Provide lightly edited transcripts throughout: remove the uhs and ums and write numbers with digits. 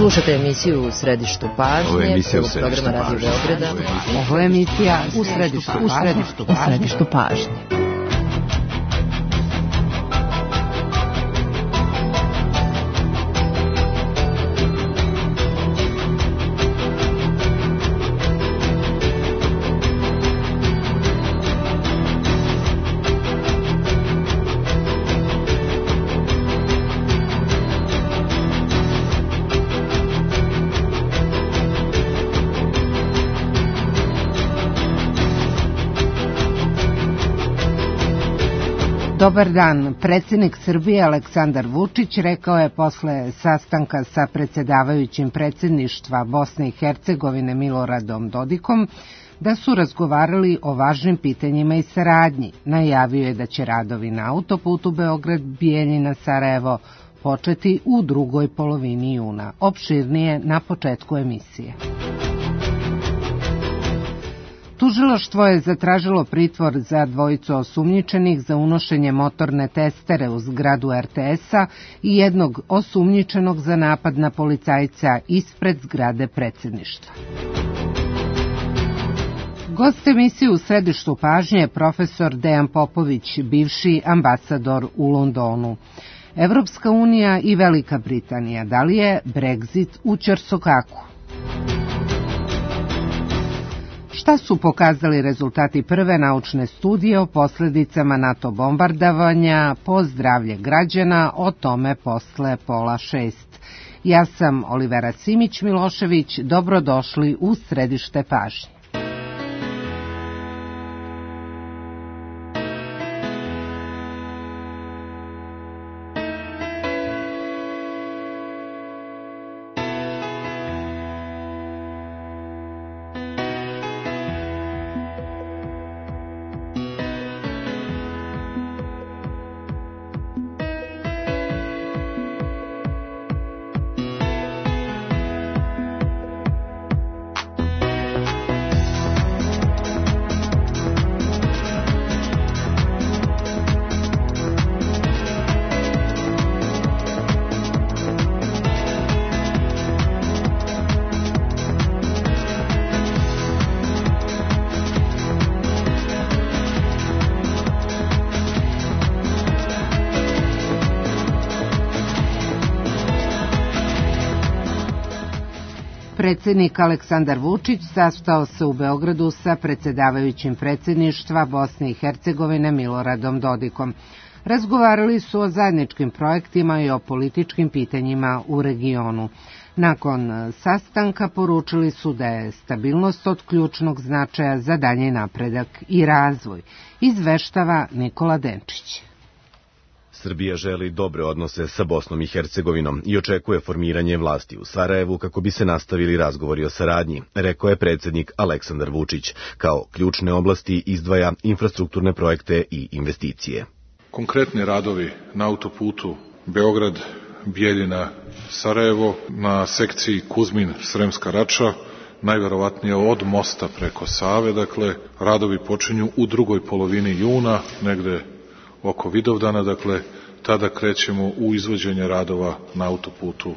Slušate emisiju U središtu pažnje. Ovo je emisija U programa Radio Beograda. Ovo je emisija U središtu pažnje. Dobar dan. Predsjednik Srbije Aleksandar Vučić rekao je posle sastanka sa predsjedavajućim predsjedništva Bosne i Hercegovine Miloradom Dodikom da su razgovarali o važnim pitanjima i saradnji. Najavio je da će radovi na autoputu Beograd-Bijeljina-Sarajevo početi u drugoj polovini juna. Opširnije na početku emisije. Tužilaštvo je zatražilo pritvor za dvojicu osumnjičenih za unošenje motorne testere u zgradu RTS-a i jednog osumnjičenog za napad na policajca ispred zgrade predsjedništva. Gost emisije U središtu pažnje je profesor Dejan Popović, bivši ambasador u Londonu. Evropska unija i Velika Britanija, da li je Brexit u ćorsokaku? Šta su pokazali rezultati prve naučne studije o posljedicama NATO bombardovanja po zdravlje građana, o tome posle 5:30. Ja sam Olivera Simić-Milošević, dobrodošli u središte pažnje. Predsjednik Aleksandar Vučić sastao se u Beogradu sa predsjedavajućim predsjedništva Bosne i Hercegovine Miloradom Dodikom. Razgovarali su o zajedničkim projektima i o političkim pitanjima u regionu. Nakon sastanka poručili su da je stabilnost od ključnog značaja za dalji napredak i razvoj, izveštava Nikola Denčić. Srbija želi dobre odnose sa Bosnom i Hercegovinom i očekuje formiranje vlasti u Sarajevu kako bi se nastavili razgovori o saradnji, rekao je predsjednik Aleksandar Vučić. Kao ključne oblasti izdvaja infrastrukturne projekte i investicije. Konkretni radovi na autoputu Beograd-Bijeljina-Sarajevo na sekciji Kuzmin-Sremska Rača, najverovatnije od mosta preko Save, dakle, radovi počinju u drugoj polovini juna, negde oko Vidovdana, dakle, tada krećemo u izvođenje radova na autoputu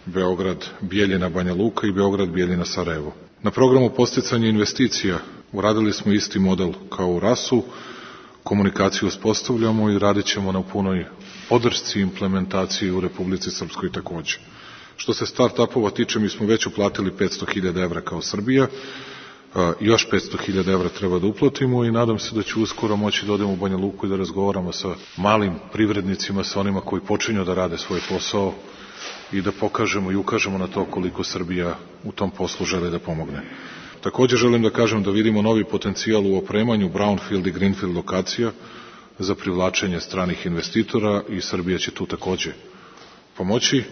Beograd-Bijeljina-Banja Luka i Beograd-Bijeljina-Sarajevo. Na programu podsticanja investicija uradili smo isti model kao u RAS-u, komunikaciju uspostavljamo i radit ćemo na punoj podršci i implementaciji u Republici Srpskoj takođe. Što se start-upova tiče, mi smo već uplatili 500.000 evra kao Srbija, još 500.000 evra treba da uplatimo i nadam se da ću uskoro moći da odemo u Banja Luku i da razgovaramo sa malim privrednicima, sa onima koji počinju da rade svoj posao i da pokažemo i ukažemo na to koliko Srbija u tom poslu želi da pomogne. Takođe želim da kažem da vidimo novi potencijal u opremanju brownfield i greenfield lokacija za privlačenje stranih investitora i Srbija će tu takođe pomoći.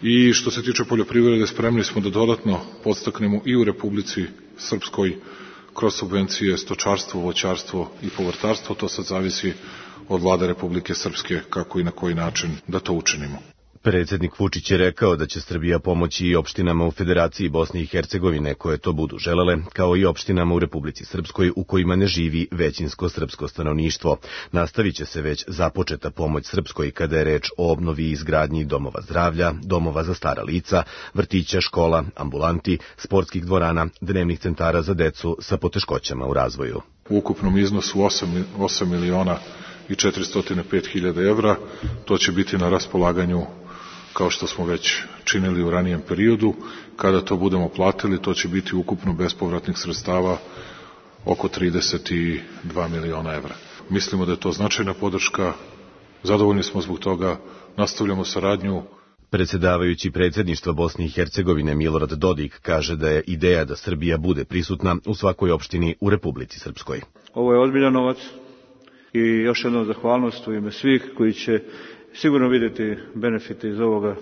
I što se tiče poljoprivrede, spremni smo da dodatno podstaknemo i u Republici Srpskoj kroz subvencije stočarstvo, voćarstvo i povrtarstvo. To sad zavisi od vlade Republike Srpske kako i na koji način da to učinimo. Predsjednik Vučić je rekao da će Srbija pomoći i opštinama u Federaciji Bosne i Hercegovine koje to budu želele, kao i opštinama u Republici Srpskoj u kojima ne živi većinsko srpsko stanovništvo. Nastavit će se već započeta pomoć Srpskoj kada je reč o obnovi i izgradnji domova zdravlja, domova za stara lica, vrtića, škola, ambulanti, sportskih dvorana, dnevnih centara za decu sa poteškoćama u razvoju. U ukupnom iznosu 8 miliona i 405 hiljada evra, to će biti na raspolaganju kao što smo već činili u ranijem periodu. Kada to budemo platili, to će biti ukupno bespovratnih sredstava oko 32 miliona evra. Mislimo da je to značajna podrška, zadovoljni smo zbog toga, nastavljamo saradnju. Predsjedavajući predsjedništva Bosne i Hercegovine Milorad Dodik kaže da je ideja da Srbija bude prisutna u svakoj opštini u Republici Srpskoj. Ovo je ozbiljan novac i još jednom zahvalnost u ime svih koji će sigurno vidjeti benefite iz ovoga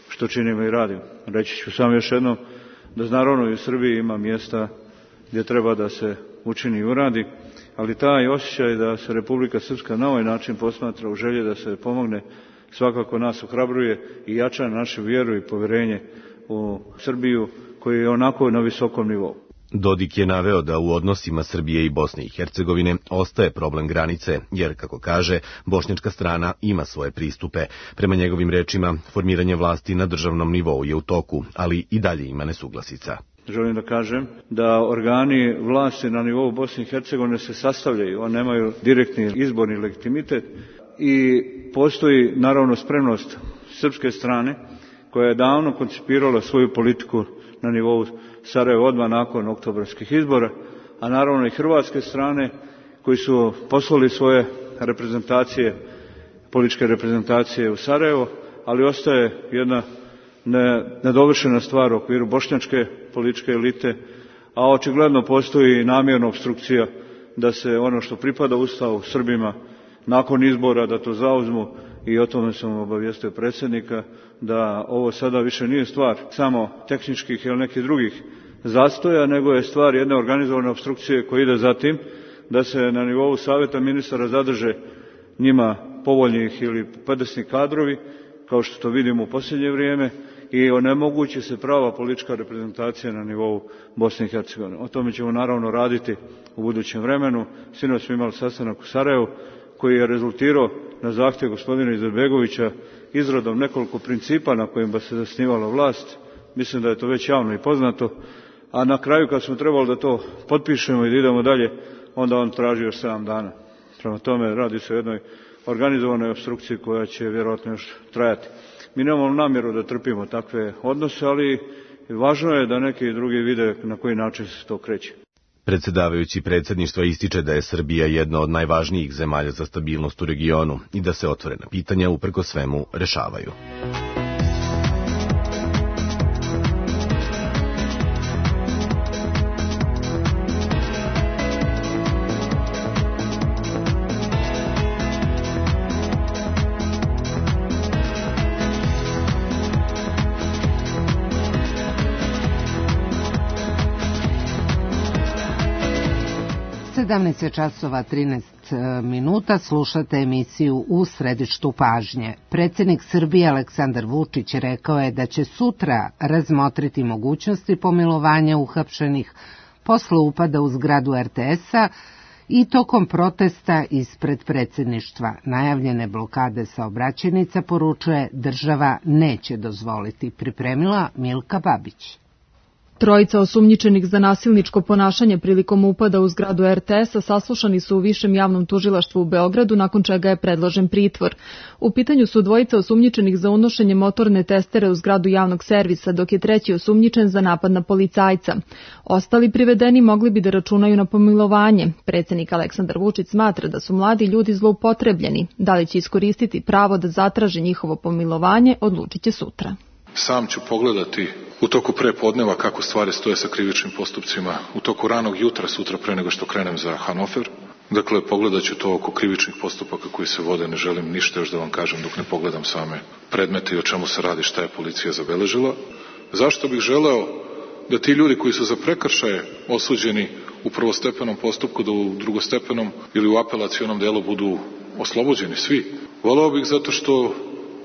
što činimo i radimo. Reći ću samo još jednom da naravno i u Srbiji ima mjesta gdje treba da se učini i uradi, ali taj osjećaj da se Republika Srpska na ovaj način posmatra u želji da se pomogne svakako nas ohrabruje i jača našu vjeru i povjerenje u Srbiju koji je onako na visokom nivou. Dodik je naveo da u odnosima Srbije i Bosne i Hercegovine ostaje problem granice, jer, kako kaže, bošnjačka strana ima svoje pristupe. Prema njegovim rečima, formiranje vlasti na državnom nivou je u toku, ali i dalje ima nesuglasica. Želim da kažem da organi vlasti na nivou Bosne i Hercegovine se sastavljaju, oni nemaju direktni izborni legitimitet i postoji naravno spremnost srpske strane koja je davno koncipirala svoju politiku na nivou Sarajeva odmah nakon oktobarskih izbora, a naravno i hrvatske strane koji su poslali svoje reprezentacije, političke reprezentacije u Sarajevo, ali ostaje jedna nedovršena stvar u okviru bošnjačke političke elite, a očigledno postoji namjerna opstrukcija da se ono što pripada Ustavu Srbima nakon izbora da to zauzmu i o tome sam obavijestio predsjednika da ovo sada više nije stvar samo tehničkih ili nekih drugih zastoja, nego je stvar jedne organizovane opstrukcije koja ide za tim da se na nivou savjeta ministara zadrže njima povoljnih ili podesni kadrovi, kao što to vidimo u posljednje vrijeme, i onemogući se prava politička reprezentacija na nivou Bosne i Hercegovine. O tome ćemo naravno raditi u budućem vremenu. Sinoć smo imali sastanak u Sarajevu koji je rezultirao na zahtjev gospodina Izetbegovića izradom nekoliko principa na kojima se zasnivala vlast. Mislim da je to već javno i poznato. A na kraju kad smo trebali da to potpišemo i da idemo dalje, onda on traži još 7 dana. Prema tome radi se o jednoj organizovanoj opstrukciji koja će vjerojatno još trajati. Mi nemamo namjeru da trpimo takve odnose, ali važno je da neki drugi vide na koji način se to kreće. Predsjedavajući predsjedništva ističe da je Srbija jedna od najvažnijih zemalja za stabilnost u regionu i da se otvorena pitanja uprkos svemu rešavaju. časova 13 minuta slušate emisiju U središtu pažnje. Predsjednik Srbije Aleksandar Vučić rekao je da će sutra razmotriti mogućnosti pomilovanja uhapšenih posle upada u zgradu RTS-a i tokom protesta ispred predsjedništva. Najavljene blokade saobraćajnica, poručuje, država neće dozvoliti. Pripremila Milka Babić. Trojica osumnjičenih za nasilničko ponašanje prilikom upada u zgradu RTS-a saslušani su u Višem javnom tužilaštvu u Beogradu, nakon čega je predložen pritvor. U pitanju su dvojica osumnjičenih za unošenje motorne testere u zgradu javnog servisa, dok je treći osumnjičen za napad na policajca. Ostali privedeni mogli bi da računaju na pomilovanje. Predsjednik Aleksandar Vučić smatra da su mladi ljudi zloupotrebljeni. Da li će iskoristiti pravo da zatraže njihovo pomilovanje, odlučit će sutra. Sam ću pogledati u toku prepodneva kako stvari stoje sa krivičnim postupcima, u toku ranog jutra sutra pre nego što krenem za Hanover. Dakle, pogledat ću to oko krivičnih postupaka koji se vode, ne želim ništa još da vam kažem dok ne pogledam same predmete i o čemu se radi, šta je policija zabeležila. Zašto bih želeo da ti ljudi koji su za prekršaje osuđeni u prvostepenom postupku, da u drugostepenom ili u apelacionom delu budu oslobođeni svi? Voleo bih zato što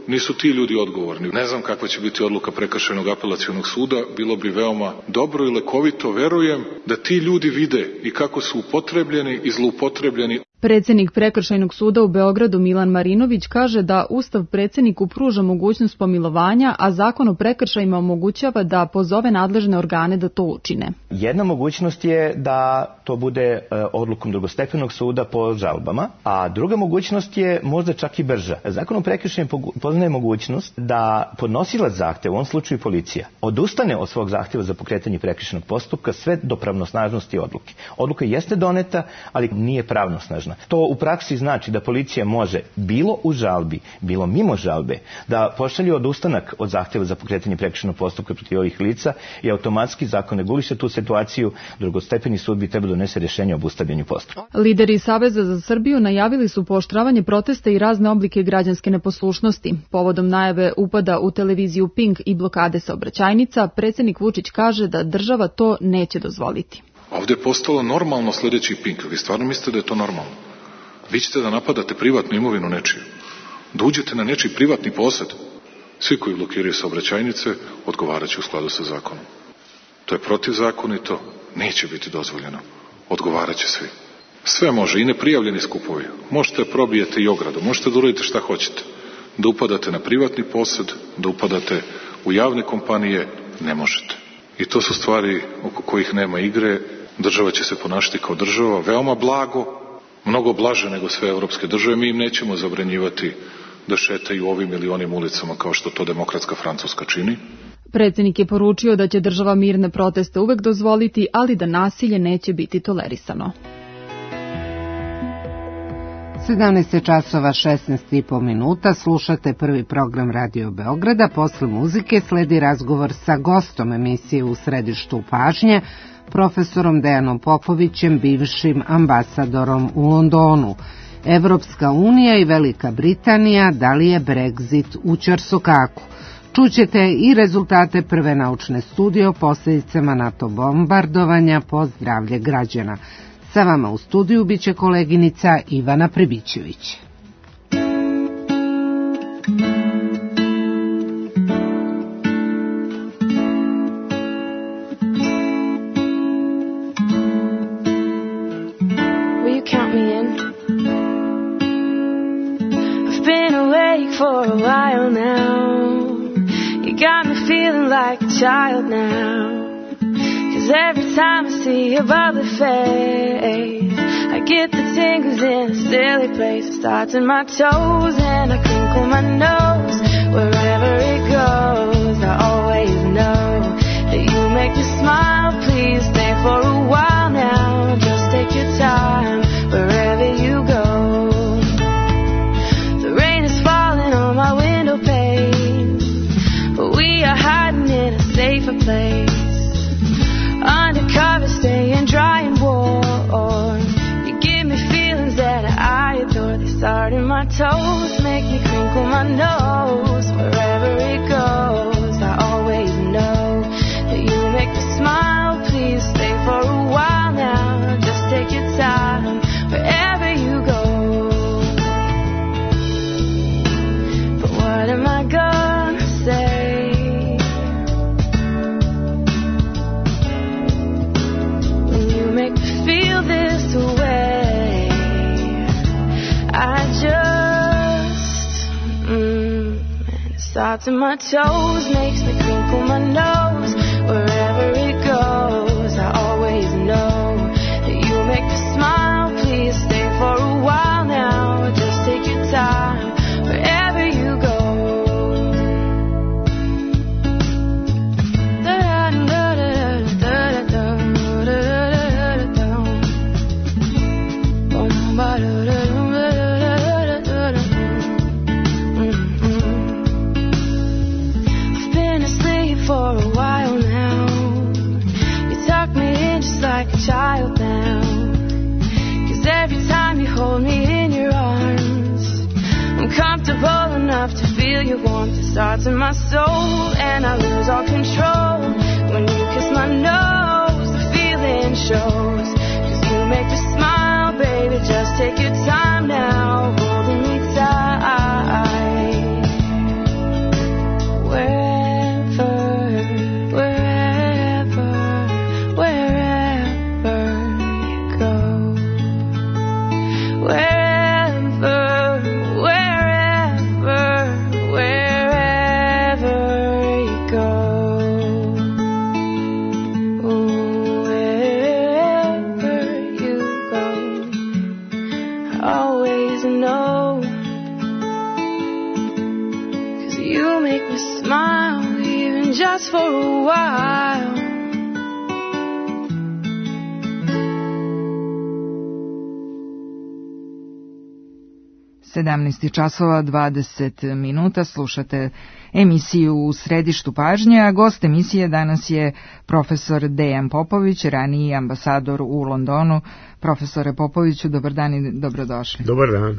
nisu ti ljudi odgovorni. Ne znam kakva će biti odluka Prekršajnog apelacionog suda, bilo bi veoma dobro i lekovito, verujem, da ti ljudi vide i kako su upotrebljeni i zloupotrebljeni. Predsednik Prekršajnog suda u Beogradu Milan Marinović kaže da Ustav predsedniku pruža mogućnost pomilovanja, a Zakon o prekršajima omogućava da pozove nadležne organe da to učine. Jedna mogućnost je da to bude odlukom drugostepenog suda po žalbama, a druga mogućnost je možda čak i brža. Zakon o prekršajima poznaje mogućnost da podnosilac zahteva, u ovom slučaju policija, odustane od svog zahteva za pokretanje prekršajnog postupka sve do pravnosnažnosti odluke. Odluka jeste doneta, ali nije pravnosnažna. To u praksi znači da policija može, bilo u žalbi, bilo mimo žalbe, da pošalje odustanak od zahteva za pokretanje prekršajnog postupka protiv ovih lica i automatski zakon reguliše tu situaciju, drugostepeni sud bi trebao donese rješenje o obustavljanju postupka. Lideri Saveza za Srbiju najavili su pooštravanje protesta i razne oblike građanske neposlušnosti. Povodom najave upada u televiziju Pink i blokade saobraćajnica, predsjednik Vučić kaže da država to neće dozvoliti. Ovdje je postalo normalno sledeći Pink. Vi stvarno mislite da je to normalno? Vi ćete da napadate privatnu imovinu nečiju. Da uđete na nečiji privatni posed. Svi koji blokiraju saobraćajnice odgovarat će u skladu sa zakonom. To je protivzakonito, neće biti dozvoljeno. Odgovarat će svi. Sve može, i neprijavljeni skupovi. Možete da probijete i ogradu, možete da uradite šta hoćete. Da upadate na privatni posed, da upadate u javne kompanije, ne možete. I to su stvari oko kojih nema igre. Država će se ponašati kao država, veoma blago, mnogo blaže nego sve evropske države. Mi im nećemo zabranjivati da šetaju ovim ili onim ulicama kao što to demokratska Francuska čini. Predsjednik je poručio da će država mirne proteste uvek dozvoliti, ali da nasilje neće biti tolerisano. 17 časova 16,5 minuta, slušate prvi program Radio Beograda. Posle muzike sledi razgovor sa gostom emisije U središtu pažnje, profesorom Dejanom Popovićem, bivšim ambasadorom u Londonu. Evropska unija i Velika Britanija, da li je Brexit u ćorsokaku? Čućete i rezultate prve naučne studije o posljedicama NATO bombardovanja po zdravlje građana. Sa vama u studiju biće koleginica Ivana Pribićević. For a while now, you got me feeling like a child now. 'Cause every time I see your bubbly face, I get the tingles in a silly place. It starts in my toes and I crinkle my nose. Wherever it goes, I always know that you make me smile. Please stay for a while now. Just take your time wherever you go. My window pane, but we are hiding in a safer place. Undercover, staying dry and warm. You give me feelings that I adore. They start in my toes, make me crinkle my nose. Wherever it goes, I always know that you make me smile. Please stay for a while now. Just take your time wherever you go. What am I gonna say? When you make me feel this way, I just and it starts in my toes, makes me crinkle my nose. Wherever it goes, I always know that you make me smile. Please stay for a while now. Just take your time wherever you go. I've been asleep for a while now. You tuck me in just like a child now. 'Cause every time you hold me in your arms, I'm comfortable enough to feel your warmth. It starts in my soul and I lose all control. When you kiss my nose, the feeling shows. 'Cause you make me smile, baby, just take your time now, holding me tight. a smile, even just for a while. 17 časova 20 minuta, slušate emisiju U središtu pažnje, a gost emisije danas je profesor Dejan Popović, raniji ambasador u Londonu. Profesore Popoviću, dobar dan i dobrodošli. Dobar dan.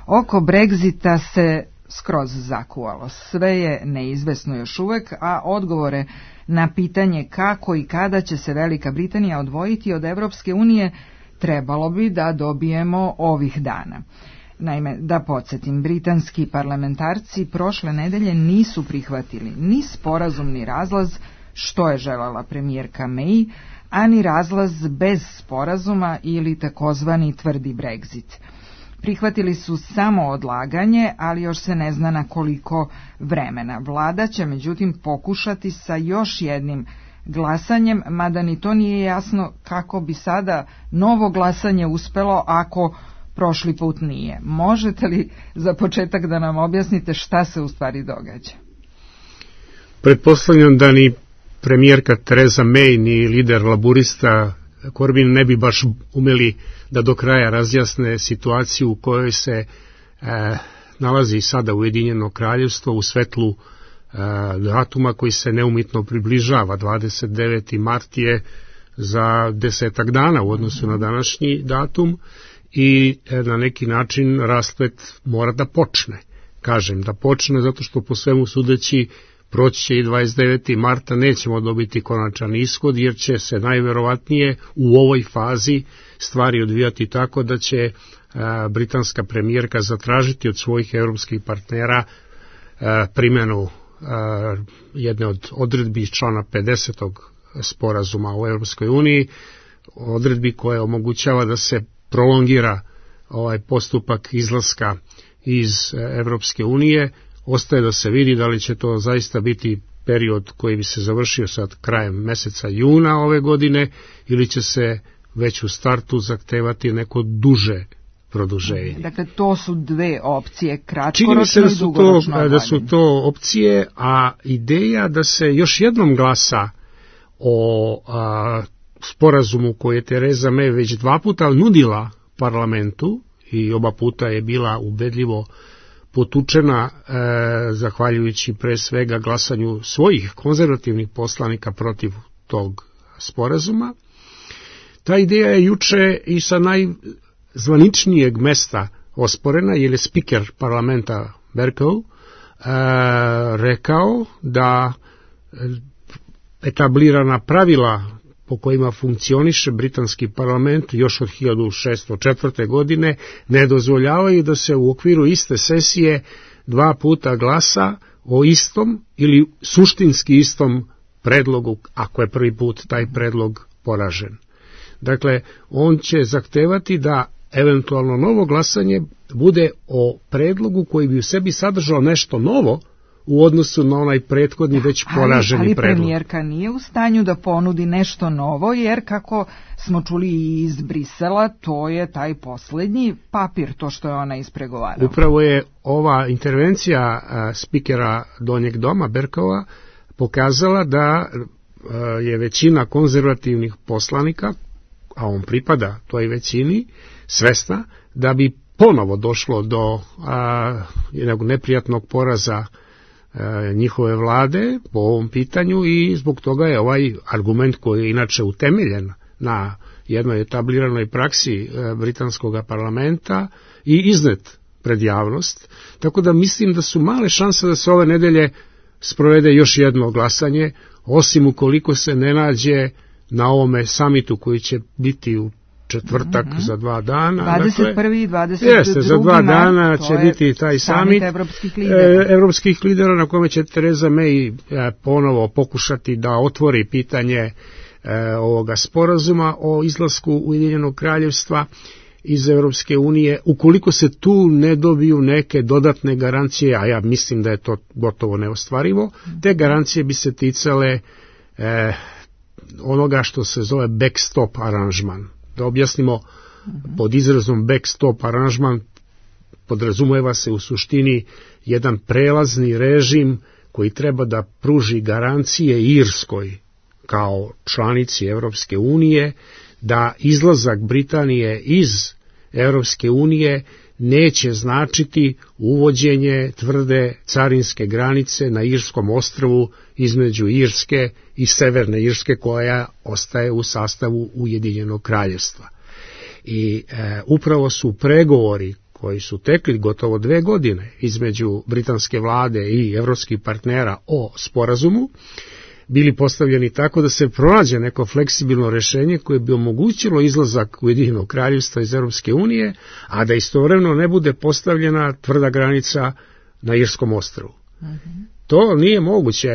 Oko Brexita se skroz zakuvalo. Sve je neizvesno još uvek, a odgovore na pitanje kako i kada će se Velika Britanija odvojiti od Evropske unije trebalo bi da dobijemo ovih dana. Naime, da podsjetim, britanski parlamentarci prošle nedelje nisu prihvatili ni sporazum ni razlaz što je željela premijerka May, a ni razlaz bez sporazuma ili takozvani tvrdi Brexit. Prihvatili su samo odlaganje, ali još se ne zna na koliko vremena. Vlada će međutim pokušati sa još jednim glasanjem, mada ni to nije jasno kako bi sada novo glasanje uspelo ako prošli put nije. Možete li za početak da nam objasnite šta se u stvari događa? Pretpostavljam da ni premijerka Theresa May ni lider laburista Corbyn ne bi baš umeli da do kraja razjasne situaciju u kojoj se nalazi sada Ujedinjeno kraljevstvo u svetlu datuma koji se neumitno približava. 29. mart je za 10 dana u odnosu na današnji datum i na neki način rasplet mora da počne. Kažem da počne zato što po svemu sudeći proći će i 29. marta, nećemo dobiti konačan ishod jer će se najverovatnije u ovoj fazi stvari odvijati tako da će britanska premijerka zatražiti od svojih evropskih partnera primjenu jedne od odredbi iz člana 50. sporazuma o Europskoj uniji, odredbi koja omogućava da se prolongira ovaj postupak izlaska iz Evropske unije. Ostaje da se vidi da li će to zaista biti period koji bi se završio sad krajem meseca juna ove godine ili će se već u startu zahtevati neko duže produženje. Dakle, to su dve opcije, kratkoročno i dugoročno. Čini mi se da su to opcije, a ideja da se još jednom glasa o sporazumu koji je Theresa May već 2 puta nudila parlamentu i oba puta je bila ubedljivo potučena zahvaljujući pre svega glasanju svojih konzervativnih poslanika protiv tog sporazuma. Ta ideja je juče i sa najzvaničnijeg mesta osporena, jer je spiker parlamenta Bercow rekao da etablirana pravila po kojima funkcioniše britanski parlament još od 1604. godine ne dozvoljavaju da se u okviru iste sesije 2 puta glasa o istom ili suštinski istom predlogu, ako je prvi put taj predlog poražen. Dakle, on će zahtevati da eventualno novo glasanje bude o predlogu koji bi u sebi sadržao nešto novo u odnosu na onaj prethodni već poraženi predlog. Ali premijerka nije u stanju da ponudi nešto novo, jer kako smo čuli iz Brisela, to je taj poslednji papir, to što je ona ispregovarala. Upravo je ova intervencija spikera Donjeg doma, Berkova, pokazala da je većina konzervativnih poslanika, a on pripada toj većini, svesna da bi ponovo došlo do jednog neprijatnog poraza njihove vlade po ovom pitanju i zbog toga je ovaj argument koji je inače utemeljen na jednoj etabliranoj praksi britanskog parlamenta i iznet pred javnost. Tako da mislim da su male šanse da se ove nedelje sprovede još jedno glasanje, osim ukoliko se ne nađe na ovome samitu koji će biti u četvrtak za 2 dana. 21. i 22. Jeste, za 2 dana će biti taj samit evropskih lidera na kome će Theresa May ponovo pokušati da otvori pitanje ovoga sporazuma o izlasku Ujedinjenog kraljevstva iz Evropske unije. Ukoliko se tu ne dobiju neke dodatne garancije, a ja mislim da je to gotovo neostvarivo, te garancije bi se ticale onoga što se zove backstop aranžman. Da objasnimo, pod izrazom backstop aranžman podrazumeva se u suštini jedan prelazni režim koji treba da pruži garancije Irskoj kao članici Evropske unije da izlazak Britanije iz Evropske unije neće značiti uvođenje tvrde carinske granice na Irskom ostrvu između Irske i Severne Irske koja ostaje u sastavu Ujedinjenog kraljevstva. I upravo su pregovori koji su tekli gotovo 2 godine između britanske vlade i evropskih partnera o sporazumu bili postavljeni tako da se pronađe neko fleksibilno rešenje koje bi omogućilo izlazak Ujedinjenog kraljevstva iz Europske unije, a da istovremeno ne bude postavljena tvrda granica na Irskom ostrvu. To nije moguće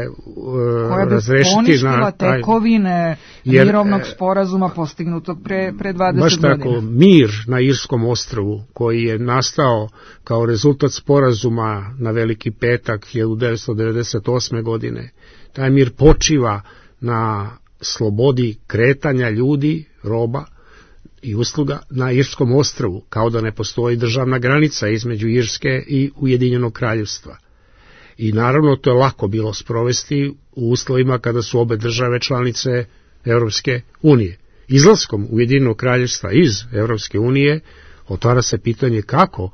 razrešiti poništila tekovine mirovnog sporazuma postignutog pre 20 godina. Baš tako, mir na Irskom ostrvu koji je nastao kao rezultat sporazuma na Veliki petak 1998. godine, taj mir počiva na slobodi kretanja ljudi, roba i usluga na Irskom ostrvu, kao da ne postoji državna granica između Irske i Ujedinjenog kraljevstva. I naravno to je lako bilo sprovesti u uslovima kada su obe države članice Europske unije. Izlaskom Ujedinjenog kraljevstva iz Europske unije otvara se pitanje kako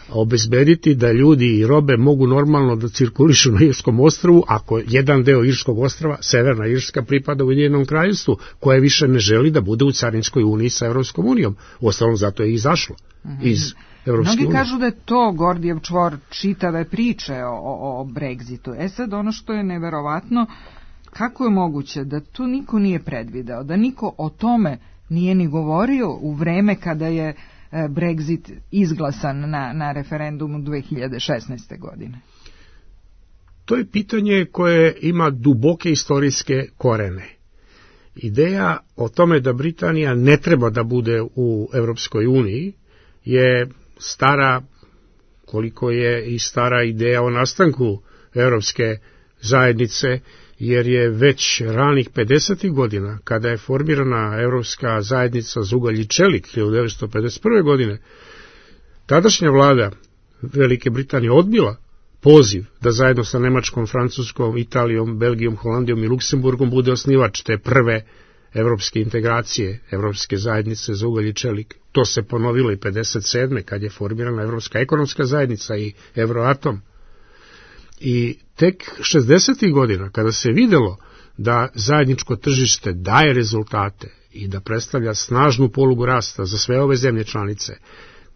obezbediti da ljudi i robe mogu normalno da cirkulišu na Irskom ostrvu ako jedan deo Irskog ostrva, Severna Irska, pripada Ujedinjenom kraljevstvu, koje više ne želi da bude u carinskoj uniji sa Europskom unijom. Uostalom zato je izašlo iz Evropske unije. Mnogi kažu da je to Gordijev čvor čitave priče o Brexitu. Sad ono što je neverovatno, kako je moguće da tu niko nije predvideo, da niko o tome nije ni govorio u vreme kada je Brexit izglasan na referendumu 2016. godine? To je pitanje koje ima duboke istorijske korene. Ideja o tome da Britanija ne treba da bude u Evropskoj uniji je stara, koliko je i stara ideja o nastanku Evropske zajednice, jer je već ranih 50. godina, kada je formirana Evropska zajednica za ugalj i čelik 1951. godine, tadašnja vlada Velike Britanije odbila poziv da zajedno sa Nemačkom, Francuskom, Italijom, Belgijom, Holandijom i Luksemburgom bude osnivač te prve evropske integracije, Evropske zajednice za ugalj i čelik. To se ponovilo i 57. kad je formirana Evropska ekonomska zajednica i Euroatom. I tek 60. godina, kada se videlo da zajedničko tržište daje rezultate i da predstavlja snažnu polugu rasta za sve ove zemlje članice,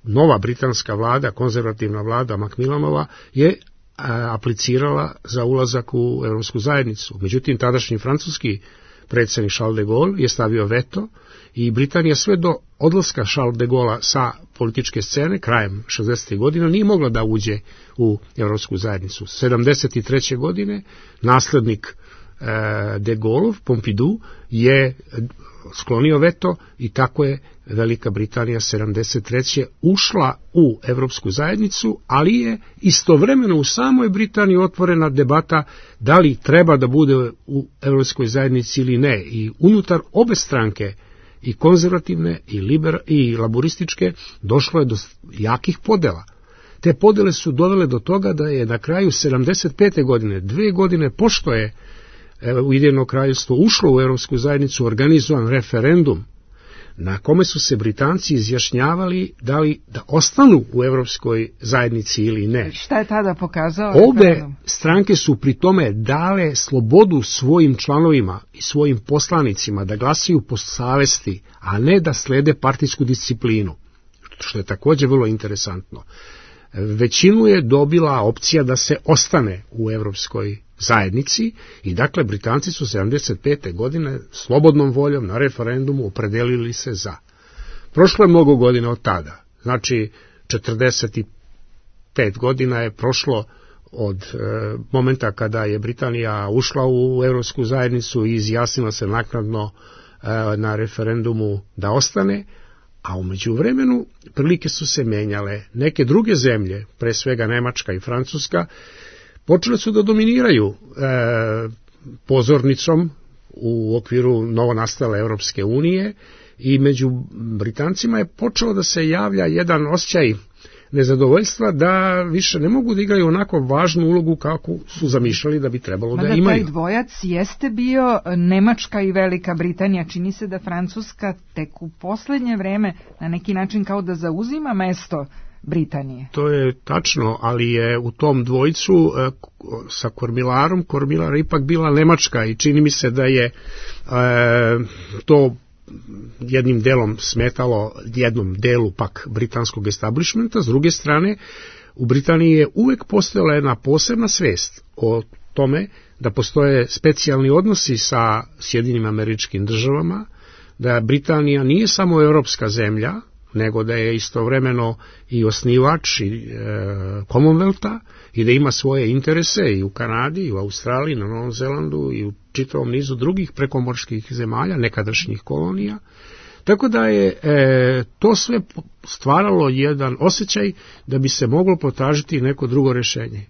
nova britanska vlada, konzervativna vlada Macmillanova, je aplicirala za ulazak u Evropsku zajednicu. Međutim, tadašnji francuski predsjednik Charles de Gaulle je stavio veto i Britanija sve do odlaska Charles de Gaullea sa političke scene krajem 60. godina nije mogla da uđe u Evropsku zajednicu. 73. godine naslednik de Gaulle, Pompidou, je sklonio veto i tako je Velika Britanija 73. ušla u Evropsku zajednicu, ali je istovremeno u samoj Britaniji otvorena debata da li treba da bude u Evropskoj zajednici ili ne. I unutar obe stranke, i konzervativne i laburističke, došlo je do jakih podela. Te podele su dovele do toga da je na kraju 75. godine, 2 godine pošto je Ujedinjeno kraljevstvo ušlo u Evropsku zajednicu, organizovan referendum na kome su se Britanci izjašnjavali da li da ostanu u Evropskoj zajednici ili ne. Šta je tada pokazao? Obe stranke su pri tome dale slobodu svojim članovima i svojim poslanicima da glasaju po savesti, a ne da slede partijsku disciplinu, što je također vrlo interesantno. Većinu je dobila opcija da se ostane u Evropskoj zajednici i dakle Britanci su 75. godine slobodnom voljom na referendumu opredelili se za. Prošlo je mnogo godina od tada, znači 45 godina je prošlo od momenta kada je Britanija ušla u Evropsku zajednicu i izjasnila se naknadno na referendumu da ostane, a u međuvremenu prilike su se menjale. Neke druge zemlje, pre svega Nemačka i Francuska, počele su da dominiraju pozornicom u okviru novonastale Evropske unije i među Britancima je počelo da se javlja jedan osjećaj nezadovoljstva da više ne mogu da igraju onako važnu ulogu kako su zamišljali da bi trebalo da imaju. Taj dvojac jeste bio Nemačka i Velika Britanija. Čini se da Francuska tek u poslednje vreme na neki način kao da zauzima mesto Britanije. To je tačno, ali je u tom dvojcu sa Kormilarom, Kormilar ipak bila Nemačka i čini mi se da je to jednim delom smetalo jednom delu pak britanskog establishmenta. S druge strane, u Britaniji je uvek postojala jedna posebna svest o tome da postoje specijalni odnosi sa Sjedinjenim Američkim Državama, da Britanija nije samo europska zemlja, nego da je istovremeno i osnivač Commonwealtha i da ima svoje interese i u Kanadi, i u Australiji, na Novom Zelandu i u čitavom nizu drugih prekomorskih zemalja, nekadašnjih kolonija. Tako da je to sve stvaralo jedan osjećaj da bi se moglo potražiti neko drugo rešenje.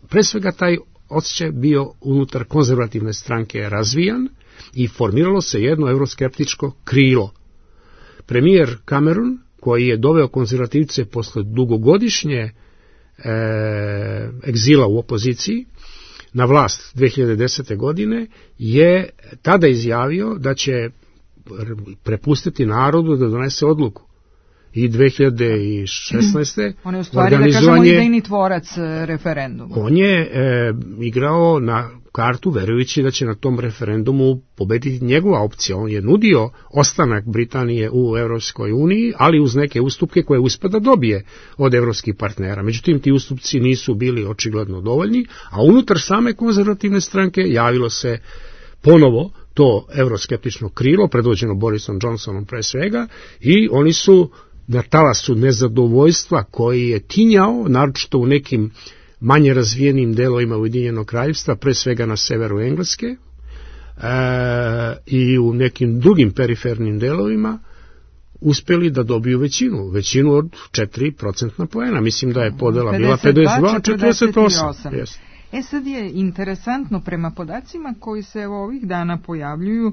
Pre svega taj osjećaj bio unutar konzervativne stranke razvijan i formiralo se jedno euroskeptičko krilo. Premijer Cameron, koji je doveo konzervativce posle dugogodišnje egzila u opoziciji na vlast 2010. godine, je tada izjavio da će prepustiti narodu da donese odluku. I 2016. On je u stvari, da kažemo, idejni tvorac referenduma. On je igrao na kartu verujući da će na tom referendumu pobediti njegova opcija. On je nudio ostanak Britanije u Evropskoj uniji, ali uz neke ustupke koje uspe da dobije od evropskih partnera. Međutim, ti ustupci nisu bili očigledno dovoljni, a unutar same konzervativne stranke javilo se ponovo to euroskeptično krilo, predvođeno Borisom Johnsonom pre svega, i oni su na talasu nezadovoljstva koji je tinjao, naročito u nekim manje razvijenim delovima Ujedinjenog kraljevstva, pre svega na severu Engleske i u nekim drugim perifernim delovima, uspeli da dobiju većinu od 4% poena. Mislim da je podela bila 52-48. Sad je interesantno, prema podacima koji se ovih dana pojavljuju,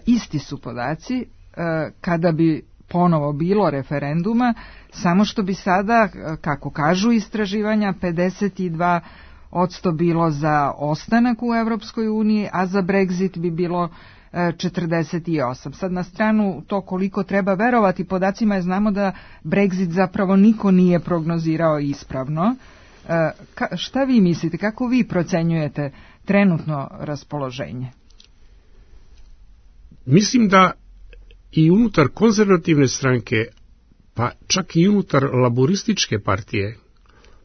isti su podaci kada bi ponovo bilo referenduma, samo što bi sada, kako kažu istraživanja, 52% bilo za ostanak u Evropskoj uniji, a za Brexit bi bilo 48. Sad na stranu to koliko treba verovati podacima, znamo da Brexit zapravo niko nije prognozirao ispravno. Šta vi mislite, kako vi procenjujete trenutno raspoloženje? Mislim da i unutar konzervativne stranke, pa čak i unutar laburističke partije,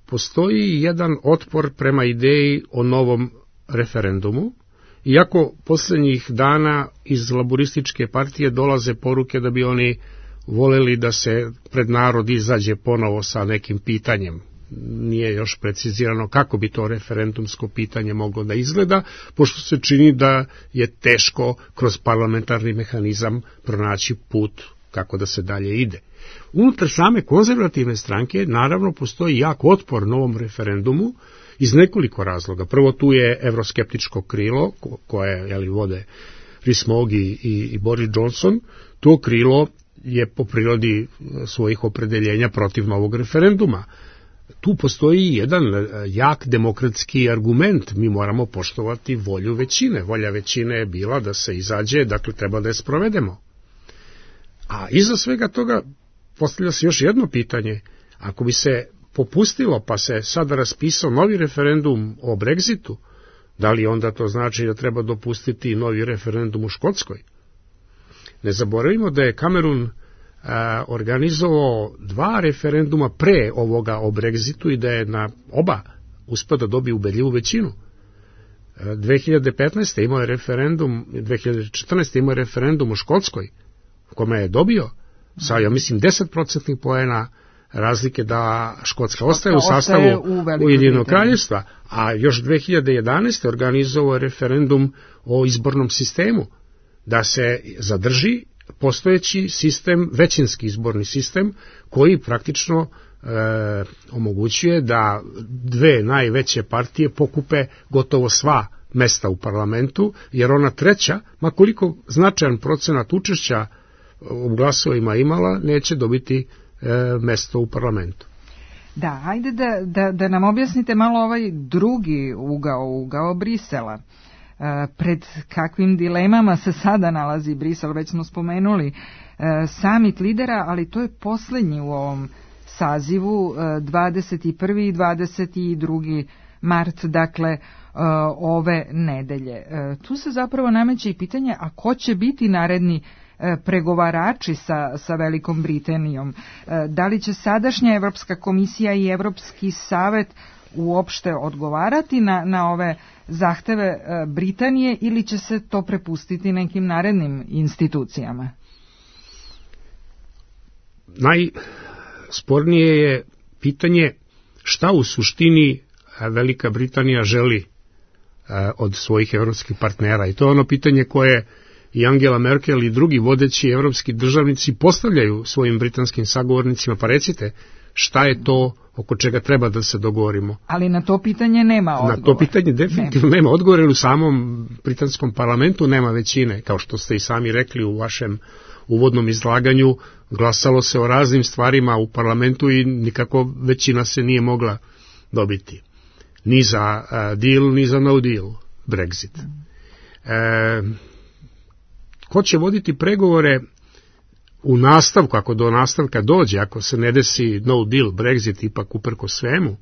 postoji jedan otpor prema ideji o novom referendumu, iako posljednjih dana iz laburističke partije dolaze poruke da bi oni voleli da se pred narod izađe ponovo sa nekim pitanjem. Nije još precizirano kako bi to referendumsko pitanje moglo da izgleda, pošto se čini da je teško kroz parlamentarni mehanizam pronaći put kako da se dalje ide. Unutar same konzervativne stranke naravno postoji jak otpor novom referendumu iz nekoliko razloga. Prvo, tu je evroskeptičko krilo koje vode Rees-Mogg i Boris Johnson. To krilo je po prirodi svojih opredeljenja protiv novog referenduma. Tu postoji jedan jak demokratski argument. Mi moramo poštovati volju većine. Volja većine je bila da se izađe, dakle treba da je sprovedemo. A iza svega toga postavlja se još jedno pitanje. Ako bi se popustilo pa se sada raspisao novi referendum o Brexitu, da li onda to znači da treba dopustiti novi referendum u Škotskoj? Ne zaboravimo da je Cameron organizovao 2 referenduma pre ovoga o Brexitu i da je na oba uspeo da dobije ubedljivu većinu. 2015. imao je referendum, 2014. imao je referendum u Škotskoj, u kome je dobio sa, ja mislim, 10% poena razlike da Škotska ostaje u sastavu Ujedinjenog kraljevstva, a još 2011. organizovao je referendum o izbornom sistemu, da se zadrži postojeći sistem, većinski izborni sistem, koji praktično omogućuje da 2 najveće partije pokupe gotovo sva mesta u parlamentu, jer ona treća, ma koliko značajan procenat učešća u glasovima imala, neće dobiti mesto u parlamentu. Da, ajde da nam objasnite malo ovaj drugi ugao Brisela. Pred kakvim dilemama se sada nalazi Brisel, već smo spomenuli samit lidera, ali to je poslednji u ovom sazivu, 21. i 22. mart, dakle ove nedelje. Tu se zapravo nameće i pitanje, a ko će biti naredni pregovarači sa Velikom Britanijom? Da li će sadašnja Evropska komisija i Evropski savet uopšte odgovarati na ove zahteve Britanije ili će se to prepustiti nekim narednim institucijama? Najspornije je pitanje šta u suštini Velika Britanija želi od svojih evropskih partnera, i to je ono pitanje koje i Angela Merkel i drugi vodeći evropski državnici postavljaju svojim britanskim sagovornicima. Pa recite, šta je to oko čega treba da se dogovorimo? Ali na to pitanje nema odgovora. Na to pitanje definitivno nema odgovora, jer u samom britanskom parlamentu nema većine. Kao što ste i sami rekli u vašem uvodnom izlaganju, glasalo se o raznim stvarima u parlamentu i nikako većina se nije mogla dobiti. Ni za deal, ni za no deal Brexit. Ko će voditi pregovore u nastavku, ako do nastavka dođe, ako se ne desi no deal Brexit ipak uprko svemu,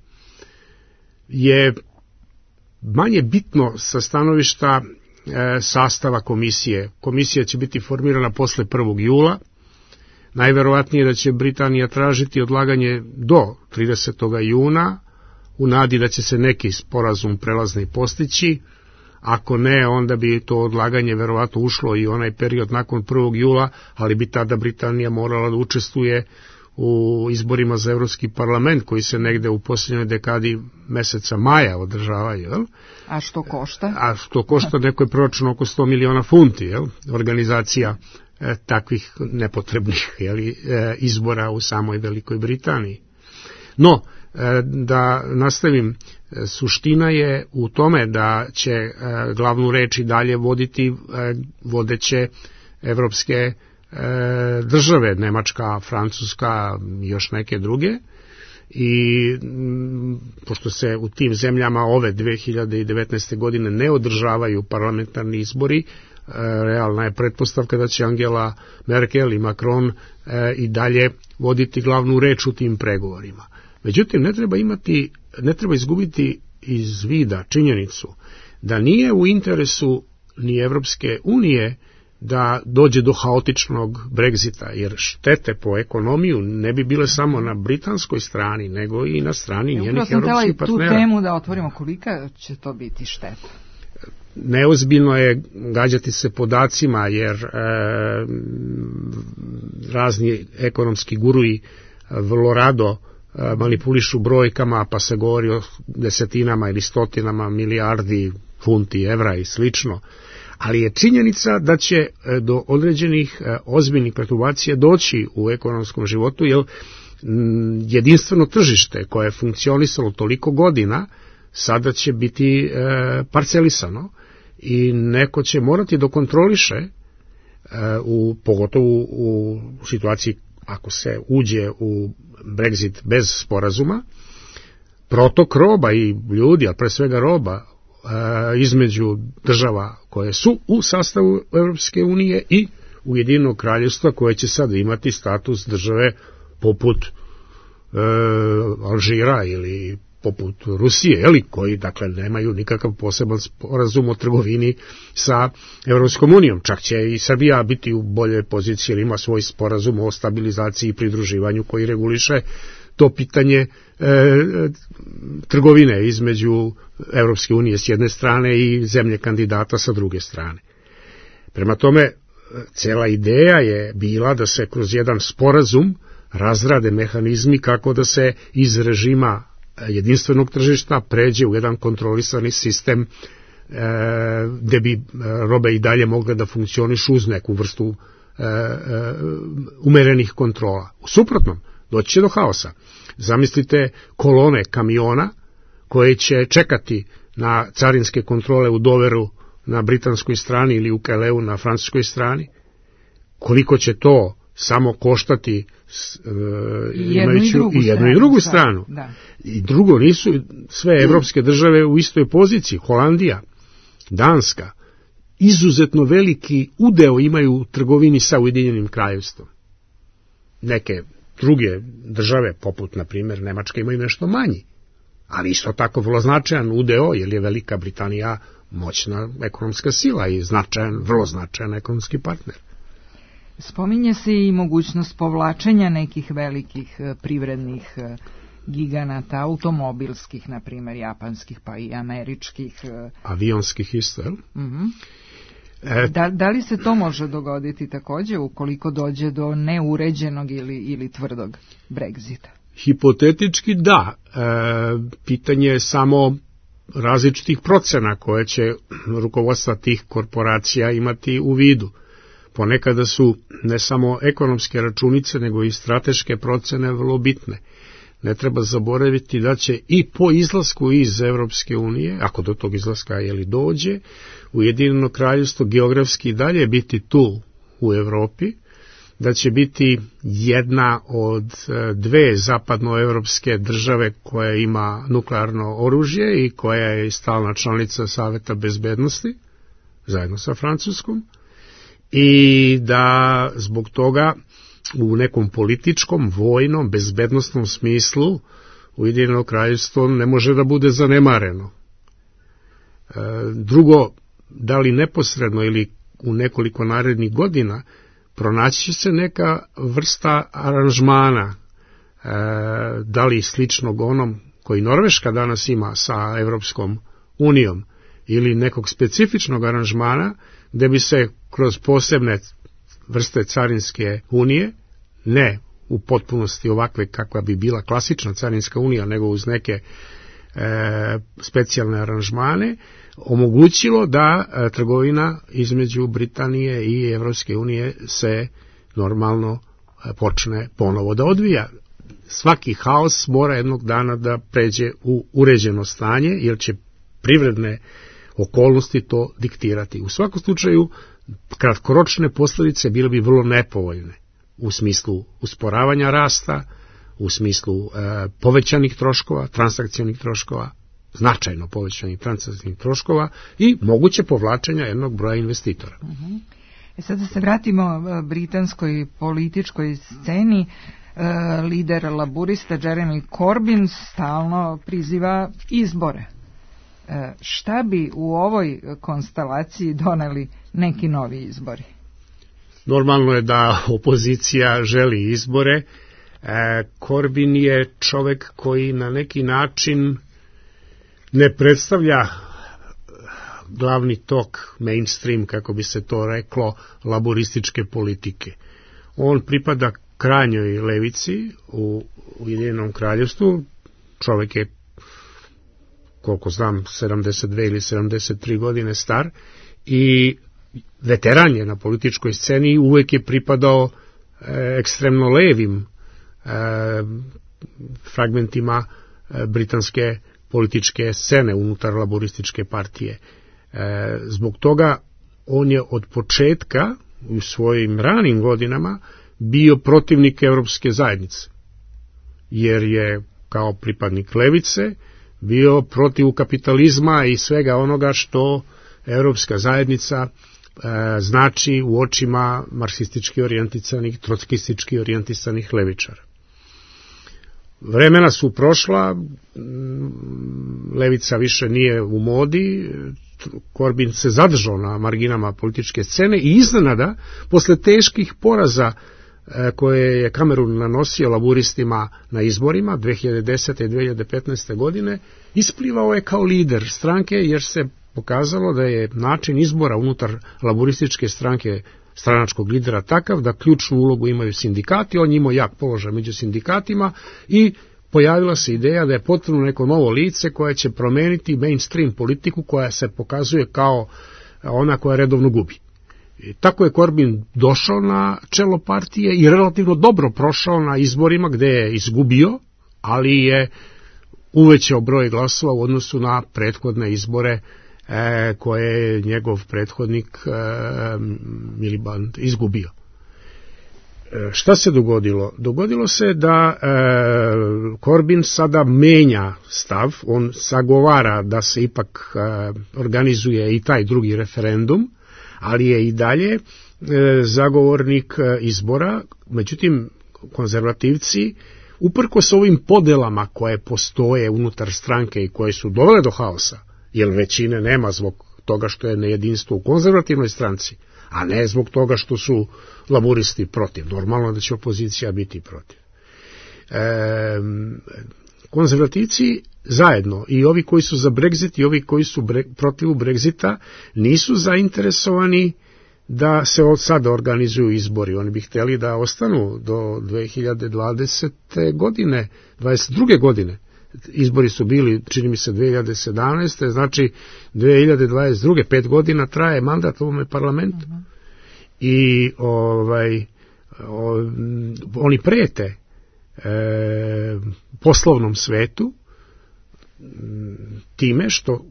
je manje bitno sa stanovišta sastava komisije. Komisija će biti formirana posle 1. jula. Najverovatnije da će Britanija tražiti odlaganje do 30. juna, u nadi da će se neki sporazum prelazni postići. Ako ne, onda bi to odlaganje verovatno ušlo i onaj period nakon 1. jula, ali bi tada Britanija morala da učestvuje u izborima za Evropski parlament, koji se negde u posljednjoj dekadi meseca maja održavaju. Jel? A što košta? A što košta, neko je proračun oko 100 miliona funti, jel? Organizacija takvih nepotrebnih izbora u samoj Velikoj Britaniji. No, da nastavim, suština je u tome da će glavnu reč i dalje voditi vodeće evropske države, Nemačka, Francuska i još neke druge, i pošto se u tim zemljama ove 2019. godine ne održavaju parlamentarni izbori, realna je pretpostavka da će Angela Merkel i Macron i dalje voditi glavnu reč u tim pregovorima. Međutim, ne treba izgubiti iz vida činjenicu da nije u interesu ni Evropske unije da dođe do haotičnog Brexita, jer štete po ekonomiju ne bi bile samo na britanskoj strani, nego i na strani njenih evropskih partnera. Tu temu da otvorimo, kolika će to biti šteta? Neozbiljno je gađati se podacima, jer razni ekonomski guruji vrlo rado manipulišu brojkama, pa se govori o desetinama ili stotinama milijardi funti, evra i slično. Ali je činjenica da će do određenih ozbiljnih perturbacija doći u ekonomskom životu, jer jedinstveno tržište koje je funkcionisalo toliko godina sada će biti parcelisano i neko će morati da kontroliše, pogotovo u situaciji ako se uđe u Brexit bez sporazuma, protok roba i ljudi, a pre svega roba, između država koje su u sastavu Evropske unije i Ujedinjenog kraljevstva, koje će sad imati status države poput Alžira ili poput Rusije, koji dakle nemaju nikakav poseban sporazum o trgovini sa Evropskom unijom. Čak će i Srbija biti u boljoj poziciji, jer ima svoj sporazum o stabilizaciji i pridruživanju koji reguliše to pitanje trgovine između Evropske unije s jedne strane i zemlje kandidata sa druge strane. Prema tome, cela ideja je bila da se kroz jedan sporazum razrade mehanizmi kako da se iz režima jedinstvenog tržišta pređe u jedan kontrolisani sistem gde bi robe i dalje mogle da funkcionišu uz neku vrstu umerenih kontrola. U suprotnom, doći će do haosa. Zamislite kolone kamiona koje će čekati na carinske kontrole u Doveru na britanskoj strani ili u Calaisu na francuskoj strani. Koliko će to samo koštati imajući i jednu i drugu stranu. Da. I drugo, nisu sve evropske države u istoj poziciji. Holandija, Danska, izuzetno veliki udeo imaju u trgovini sa Ujedinjenim Kraljevstvom. Neke druge države, poput, na primjer, Nemačka, imaju nešto manji, ali isto tako vrlo značajan udeo, jer je Velika Britanija moćna ekonomska sila i vrlo značajan ekonomski partner. Spominje se i mogućnost povlačenja nekih velikih privrednih giganata, automobilskih, na primjer, japanskih, pa i američkih. Avionskih isto, jel? Da li se to može dogoditi također ukoliko dođe do neuređenog ili tvrdog Brexita? Hipotetički da. Pitanje je samo različitih procena koje će rukovodstva tih korporacija imati u vidu. Ponekada su ne samo ekonomske računice, nego i strateške procene vrlo bitne. Ne treba zaboraviti da će i po izlasku iz Evropske unije, ako do tog izlaska dođe, Ujedinjeno Kraljevstvo geografski dalje biti tu u Evropi, da će biti jedna od dve zapadnoevropske države koja ima nuklearno oružje i koja je stalna članica Saveta bezbednosti, zajedno sa Francuskom, i da zbog toga u nekom političkom, vojnom, bezbednosnom smislu Ujedinjeno Kraljevstvo ne može da bude zanemareno. Drugo, da li neposredno ili u nekoliko narednih godina pronaći će se neka vrsta aranžmana, da li sličnog onom koji Norveška danas ima sa Evropskom unijom ili nekog specifičnog aranžmana gde bi se kroz posebne vrste carinske unije, ne u potpunosti ovakve kakva bi bila klasična carinska unija, nego uz neke specijalne aranžmane, omogućilo da trgovina između Britanije i Evropske unije se normalno počne ponovo da odvija. Svaki haos mora jednog dana da pređe u uređeno stanje, jer će privredne okolnosti to diktirati. U svakom slučaju, kratkoročne posljedice bile bi vrlo nepovoljne u smislu usporavanja rasta, u smislu povećanih troškova, transakcionih troškova, značajno povećanih transakcionih troškova i moguće povlačenja jednog broja investitora. Sad da se vratimo britanskoj političkoj sceni, lider laburista Jeremy Corbyn stalno priziva izbore. Šta bi u ovoj konstelaciji doneli neki novi izbori? Normalno je da opozicija želi izbore. Corbyn je čovek koji na neki način ne predstavlja glavni tok, mainstream, kako bi se to reklo, laborističke politike. On pripada krajnjoj levici u Ujedinjenom Kraljevstvu. Čovek je, koliko znam, 72 ili 73 godine star i veteran je na političkoj sceni i uvek je pripadao ekstremno levim fragmentima britanske političke scene unutar laborističke partije. Zbog toga on je od početka u svojim ranim godinama bio protivnik Evropske zajednice, jer je kao pripadnik levice bio protiv kapitalizma i svega onoga što Evropska zajednica znači u očima marksistički orijentisanih, trotskistički orijentisanih levičara. Vremena su prošla, levica više nije u modi, Corbyn se zadržao na marginama političke scene i iznenada, posle teških poraza koje je Kamerun nanosio laburistima na izborima 2010. i 2015. godine, isplivao je kao lider stranke, jer se pokazalo da je način izbora unutar laburističke stranke stranačkog lidera takav da ključnu ulogu imaju sindikati, on imao jak položaj među sindikatima i pojavila se ideja da je potrebno neko novo lice koje će promeniti mainstream politiku koja se pokazuje kao ona koja redovno gubi. I tako je Corbyn došao na čelo partije i relativno dobro prošao na izborima gde je izgubio, ali je uvećao broj glasova u odnosu na prethodne izbore koje je njegov prethodnik Miliband izgubio. Šta se dogodilo? Dogodilo se da Corbyn sada menja stav, on zagovara da se ipak organizuje i taj drugi referendum, ali je i dalje zagovornik izbora, međutim konzervativci, uprkos ovim podelama koje postoje unutar stranke i koje su dovele do haosa, jer većine nema zbog toga što je nejedinstvo u konzervativnoj stranci, a ne zbog toga što su laburisti protiv. Normalno da će opozicija biti protiv. Konzervativci zajedno, i ovi koji su za Brexit i ovi koji su protiv Brexita, nisu zainteresovani da se od sada organizuju izbori. Oni bi htjeli da ostanu do 2020. godine, 22. godine. Izbori su bili, čini mi se, 2017. Znači 2022. 5 godina traje mandat ovome parlamentu. I oni prete poslovnom svetu time što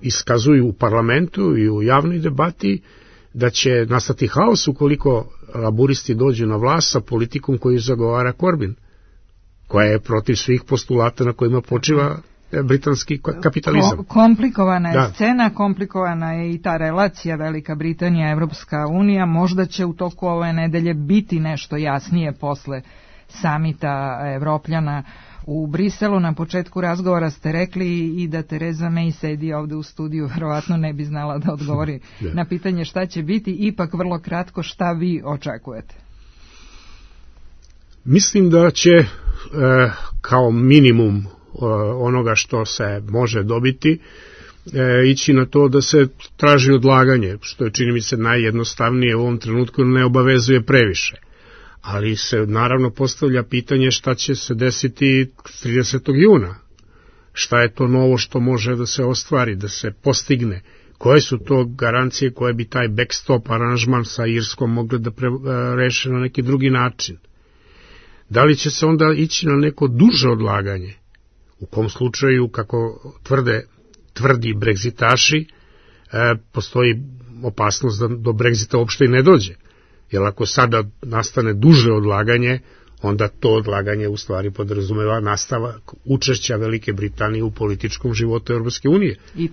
iskazuju u parlamentu i u javnoj debati da će nastati haos ukoliko laburisti dođu na vlast sa politikom koju zagovara Corbyn, koja je protiv svih postulata na kojima počiva britanski kapitalizam. Komplikovana je scena, komplikovana je i ta relacija Velika Britanija, Evropska unija. Možda će u toku ove nedelje biti nešto jasnije posle samita Evropljana u Briselu. Na početku razgovora ste rekli i da Tereza May sedi ovde u studiju, verovatno ne bi znala da odgovori na pitanje šta će biti. Ipak vrlo kratko, šta vi očekujete? Mislim da će kao minimum onoga što se može dobiti ići na to da se traži odlaganje, što je, čini mi se, najjednostavnije u ovom trenutku, ne obavezuje previše. Ali se naravno postavlja pitanje šta će se desiti 30. juna. Šta je to novo što može da se ostvari, da se postigne? Koje su to garancije koje bi taj backstop aranžman sa Irskom mogli da reše na neki drugi način? Da li će se onda ići na neko duže odlaganje? U kom slučaju, kako tvrdi Brexitaši, postoji opasnost da do Brexita uopšte i ne dođe. Jer ako sada nastane duže odlaganje, onda to odlaganje u stvari podrazumeva nastavak učešća Velike Britanije u političkom životu Europske unije. I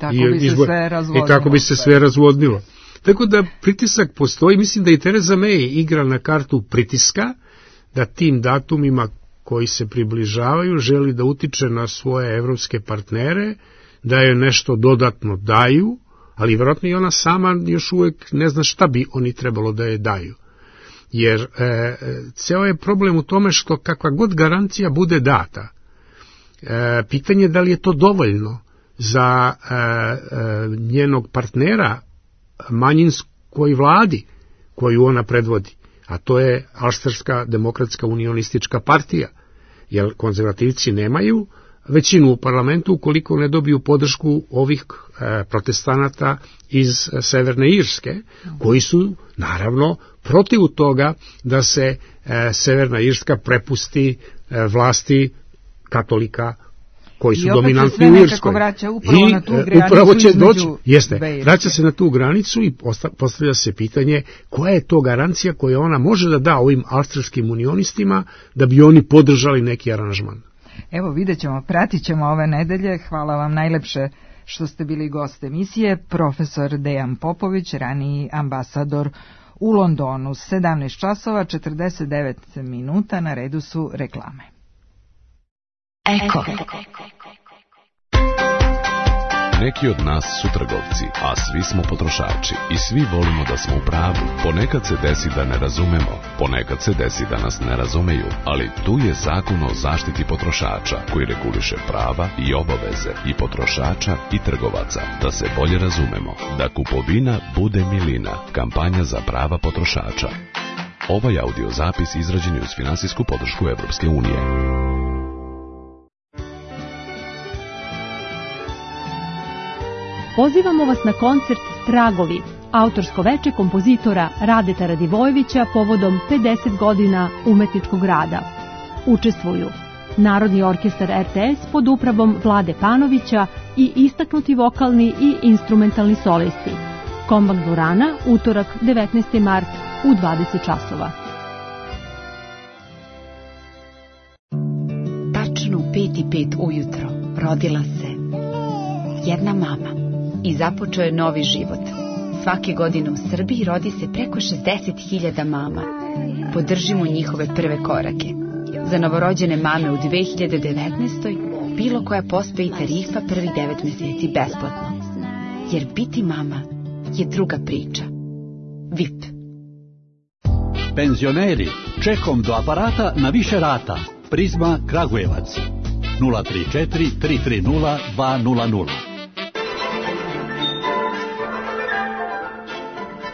tako bi se sve razvodnilo. Tako da pritisak postoji. Mislim da i Tereza May igra na kartu pritiska, da tim datumima koji se približavaju želi da utiče na svoje evropske partnere, da je nešto dodatno daju, ali vjerojatno i ona sama još uvijek ne zna šta bi oni trebalo da je daju. Jer ceo je problem u tome što kakva god garancija bude data, pitanje je da li je to dovoljno za njenog partnera manjinskoj vladi koju ona predvodi, a to je Alšterska demokratska unionistička partija, jer konzervativci nemaju većinu u parlamentu ukoliko ne dobiju podršku ovih protestanata iz Severne Irske, koji su naravno protiv toga da se Severna Irska prepusti vlasti katolika koji su dominantni u Irskoj. Upravo će doći, vraća se na tu granicu i postavlja se pitanje koja je to garancija koju ona može da da ovim alšterskim unionistima da bi oni podržali neki aranžman. Evo, vidjet ćemo, pratit ćemo ove nedelje. Hvala vam najlepše što ste bili gost emisije. Profesor Dejan Popović, raniji ambasador u Londonu. 17 časova, 49 minuta, na redu su reklame. Eko. Neki od nas su trgovci, a svi smo potrošači i svi volimo da smo u pravu. Ponekad se desi da ne razumemo, ponekad se desi da nas ne razumeju, ali tu je Zakon o zaštiti potrošača koji reguliše prava i obaveze i potrošača i trgovaca. Da se bolje razumemo, da kupovina bude milina. Kampanja za prava potrošača. Ovaj audio zapis izrađen je uz finansijsku podršku Evropske unije. Pozivamo vas na koncert Tragovi, autorsko veče kompozitora Radeta Radivojevića povodom 50 godina umetničkog rada. Učestvuju Narodni orkestar RTS pod upravom Vlade Panovića i istaknuti vokalni i instrumentalni solisti. Kombank dvorana, utorak 19. mart u 20 časova. 6:45 ujutro rodila se jedna mama i započeo je novi život. Svake godine u Srbiji rodi se preko 60.000 mama. Podržimo njihove prve korake. Za novorođene mame u 2019. bilo koja pospe i tarifa prvih 9 meseci besplatno. Jer biti mama je druga priča. VIP. Penzioneri, čekom do aparata na više rata. Prizma Kragujevac 034 330 200.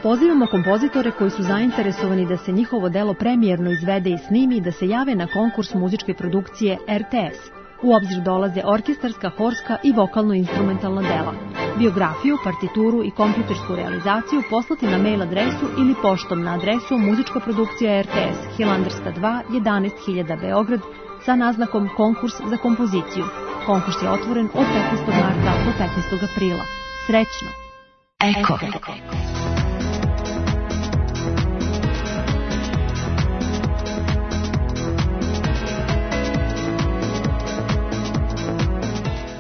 Pozivamo kompozitore koji su zainteresovani da se njihovo delo premijerno izvede i snimi da se jave na konkurs muzičke produkcije RTS. U obzir dolaze orkestarska, horska i vokalno-instrumentalna dela. Biografiju, partituru i kompjutersku realizaciju poslati na mail adresu ili poštom na adresu muzička produkcija RTS, Hilandarska 2, 11.000 Beograd, sa naznakom konkurs za kompoziciju. Konkurs je otvoren od 15. marta do 15. aprila. Srećno! Eko.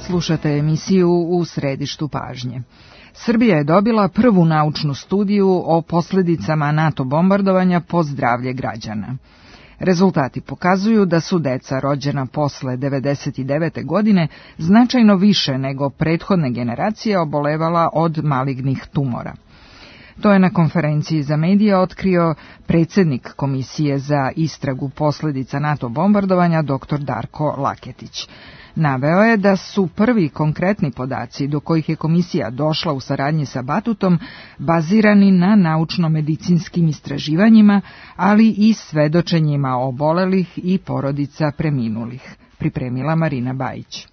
Slušate emisiju U središtu pažnje. Srbija je dobila prvu naučnu studiju o posljedicama NATO bombardovanja po zdravlje građana. Rezultati pokazuju da su deca rođena posle 1999. godine značajno više nego prethodne generacije obolevala od malignih tumora. To je na konferenciji za medije otkrio predsjednik Komisije za istragu posljedica NATO bombardovanja dr. Darko Laketić. Naveo je da su prvi konkretni podaci do kojih je komisija došla u saradnji sa Batutom bazirani na naučno-medicinskim istraživanjima, ali i svedočenjima obolelih i porodica preminulih. Pripremila Marina Bajić.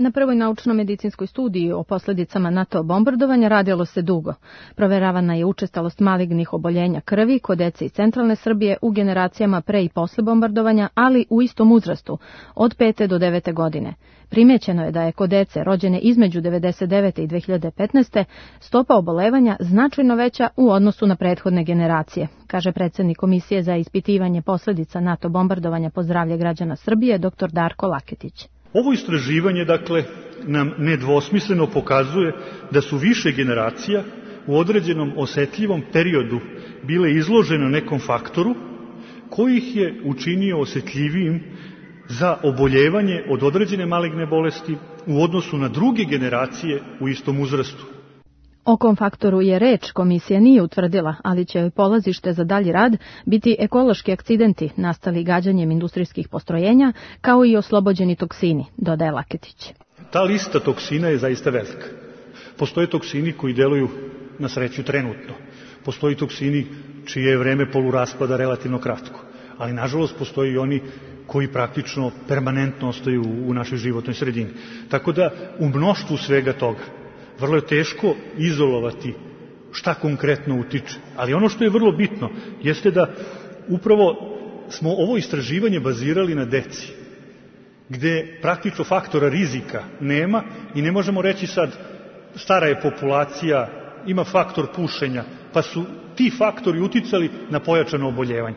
Na prvoj naučno-medicinskoj studiji o posljedicama NATO bombardovanja radilo se dugo. Proveravana je učestalost malignih oboljenja krvi kod dece iz centralne Srbije u generacijama pre i posle bombardovanja, ali u istom uzrastu, od 5. do 9. godine. Primećeno je da je kod dece rođene između 1999. i 2015. stopa obolevanja značajno veća u odnosu na prethodne generacije, kaže predsjednik Komisije za ispitivanje posledica NATO bombardovanja po zdravlje građana Srbije, dr. Darko Laketić. Ovo istraživanje, dakle, nam nedvosmisleno pokazuje da su više generacija u određenom osetljivom periodu bile izložene nekom faktoru koji ih je učinio osetljivijim za oboljevanje od određene maligne bolesti u odnosu na druge generacije u istom uzrastu. O kom faktoru je reč, komisija nije utvrdila, ali će joj polazište za dalji rad biti ekološki akcidenti nastali gađanjem industrijskih postrojenja, kao i oslobođeni toksini, dodaje Laketić. Ta lista toksina je zaista velika. Postoje toksini koji deluju na sreću trenutno. Postoji toksini čije je vreme poluraspada relativno kratko. Ali nažalost postoji i oni koji praktično permanentno ostaju u našoj životnoj sredini. Tako da u mnoštvu svega toga vrlo je teško izolovati šta konkretno utiče. Ali ono što je vrlo bitno jeste da upravo smo ovo istraživanje bazirali na deci, gde praktično faktora rizika nema i ne možemo reći sad stara je populacija, ima faktor pušenja, pa su ti faktori uticali na pojačano oboljevanje.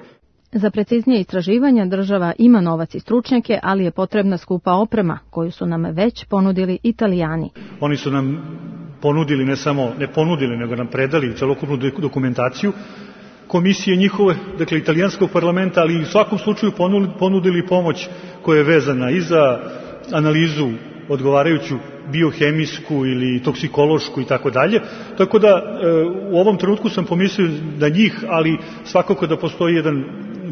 Za preciznije istraživanja država ima novac i stručnjake, ali je potrebna skupa oprema koju su nam već ponudili Italijani. Oni su nam ponudili, ne ponudili, nego nam predali celokupnu dokumentaciju komisije njihove, dakle italijanskog parlamenta, ali i u svakom slučaju ponudili pomoć koja je vezana i za analizu odgovarajuću biohemijsku ili toksikološku i tako dalje. Tako da u ovom trenutku sam pomislio da njih, ali svakako da postoji jedan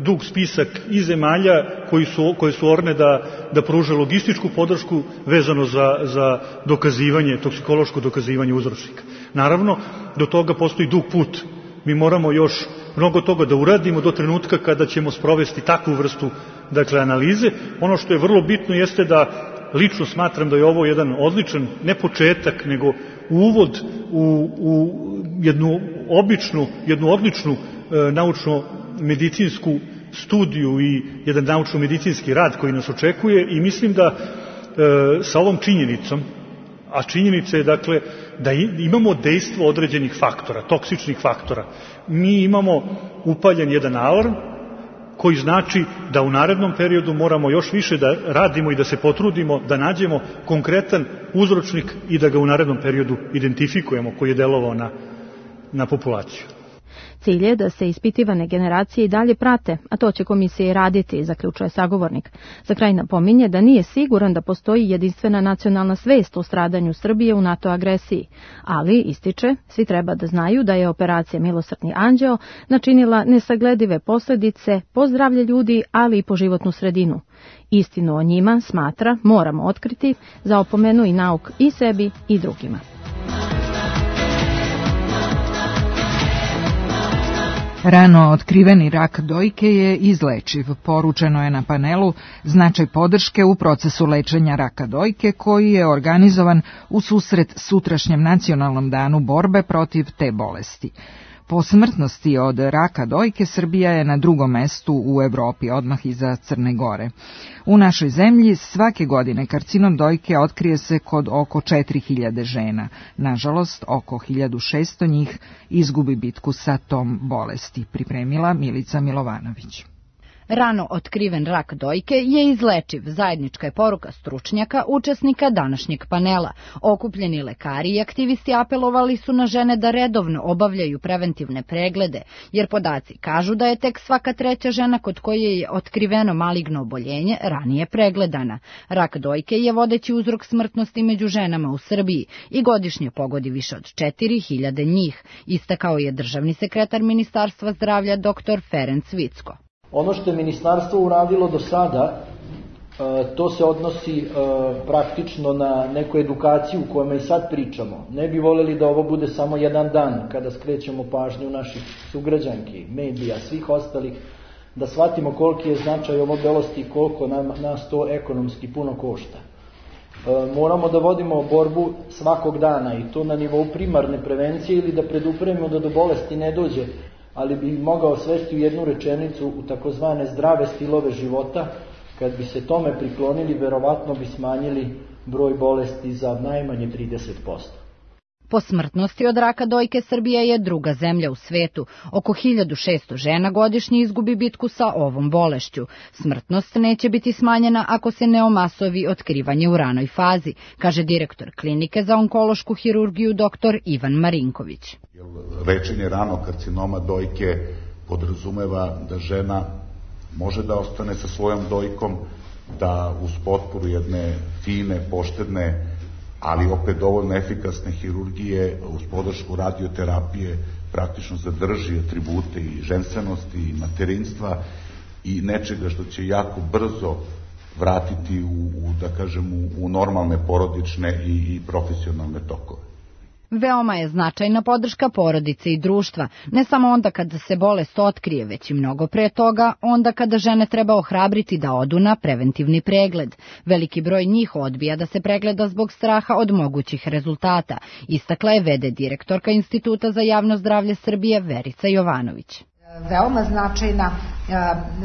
dug spisak i zemalja koje su orne da pruže logističku podršku vezano za dokazivanje, toksikološko dokazivanje uzročnika. Naravno, do toga postoji dug put. Mi moramo još mnogo toga da uradimo do trenutka kada ćemo sprovesti takvu vrstu, dakle, analize. Ono što je vrlo bitno jeste da lično smatram da je ovo jedan odličan, ne početak, nego uvod u jednu odličnu naučno-medicinsku studiju i jedan naučno-medicinski rad koji nas očekuje i mislim da sa ovom činjenicom, a činjenica je dakle da imamo dejstvo određenih faktora, toksičnih faktora, mi imamo upaljen jedan alarm koji znači da u narednom periodu moramo još više da radimo i da se potrudimo da nađemo konkretan uzročnik i da ga u narednom periodu identifikujemo koji je delovao na populaciju. Cilj je da se ispitivane generacije i dalje prate, a to će komisija i raditi, zaključuje sagovornik. Za kraj napominje da nije siguran da postoji jedinstvena nacionalna svest o stradanju Srbije u NATO agresiji, ali, ističe, svi treba da znaju da je operacija Milosrdni anđeo načinila nesagledive posledice po zdravlje ljudi, ali i po životnu sredinu. Istinu o njima, smatra, moramo otkriti, za opomenu i nauk i sebi i drugima. Rano otkriveni rak dojke je izlečiv. Poručeno je na panelu značaj podrške u procesu lečenja raka dojke koji je organizovan u susret sutrašnjem nacionalnom danu borbe protiv te bolesti. Po smrtnosti od raka dojke Srbija je na drugom mestu u Evropi, odmah iza Crne Gore. U našoj zemlji svake godine karcinom dojke otkrije se kod oko 4000 žena. Nažalost, oko 1600 njih izgubi bitku sa tom bolesti, pripremila Milica Milovanović. Rano otkriven rak dojke je izlečiv, zajednička je poruka stručnjaka, učesnika današnjeg panela. Okupljeni lekari i aktivisti apelovali su na žene da redovno obavljaju preventivne preglede, jer podaci kažu da je tek svaka treća žena kod koje je otkriveno maligno oboljenje ranije pregledana. Rak dojke je vodeći uzrok smrtnosti među ženama u Srbiji i godišnje pogodi više od 4000 njih, istakao je državni sekretar Ministarstva zdravlja dr. Ferenc Vicko. Ono što je ministarstvo uradilo do sada, to se odnosi praktično na neku edukaciju o kojoj i sad pričamo. Ne bi voljeli da ovo bude samo jedan dan kada skrećemo pažnju naših sugrađanki, medija, svih ostalih, da shvatimo koliki je značaj ove bolesti i koliko nas to ekonomski puno košta. Moramo da vodimo borbu svakog dana i to na nivou primarne prevencije ili da predupremimo da do bolesti ne dođe, ali bi mogao svesti u jednu rečenicu u takozvane zdrave stilove života. Kad bi se tome priklonili, verovatno bi smanjili broj bolesti za najmanje 30%. Po smrtnosti od raka dojke Srbija je druga zemlja u svetu. Oko 1600 žena godišnje izgubi bitku sa ovom bolešću. Smrtnost neće biti smanjena ako se ne omasovi otkrivanje u ranoj fazi, kaže direktor klinike za onkološku hirurgiju dr. Ivan Marinković. Lečenje ranog karcinoma dojke podrazumeva da žena može da ostane sa svojom dojkom, da uz potporu jedne fine, poštedne, ali opet dovoljno efikasne hirurgije, uz podršku radioterapije, praktično zadrži atribute i ženstvenosti i materinstva i nečega što će jako brzo vratiti u normalne porodične i profesionalne tokove. Veoma je značajna podrška porodice i društva, ne samo onda kada se bolest otkrije, već i mnogo pre toga, onda kada žene treba ohrabriti da odu na preventivni pregled. Veliki broj njih odbija da se pregleda zbog straha od mogućih rezultata, istakla je v.d. direktorka Instituta za javno zdravlje Srbije Verica Jovanović. Veoma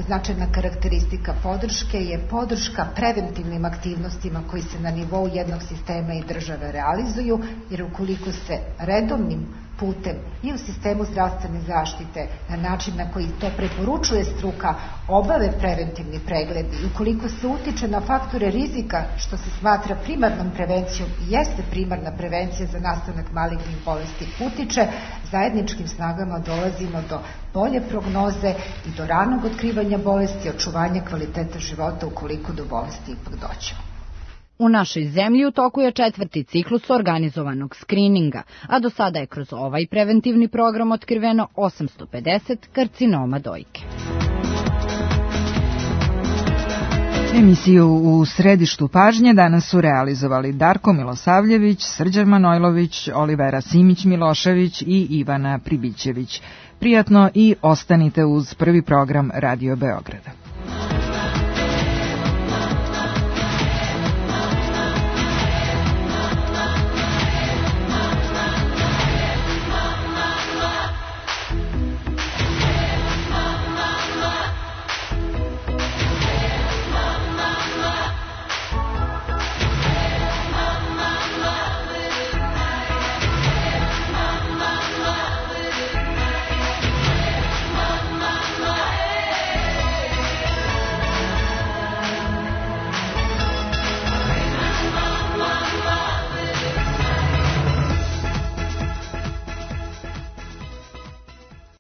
značajna karakteristika podrške je podrška preventivnim aktivnostima koji se na nivou jednog sistema i države realizuju, jer ukoliko se redovnim putem i u sistemu zdravstvene zaštite na način na koji to preporučuje struka obave preventivni pregledi i ukoliko se utiče na faktore rizika što se smatra primarnom prevencijom i jeste primarna prevencija za nastanak malignih bolesti utiče, zajedničkim snagama dolazimo do bolje prognoze i do ranog otkrivanja bolesti i očuvanja kvaliteta života ukoliko do bolesti ipak dođe. U našoj zemlji u toku je 4. ciklus organizovanog skrininga, a do sada je kroz ovaj preventivni program otkriveno 850 karcinoma dojke. Emisiju U središtu pažnje danas su realizovali Darko Milosavljević, Srđan Manojlović, Olivera Simić-Milošević i Ivana Pribićević. Prijatno i ostanite uz prvi program Radio Beograda.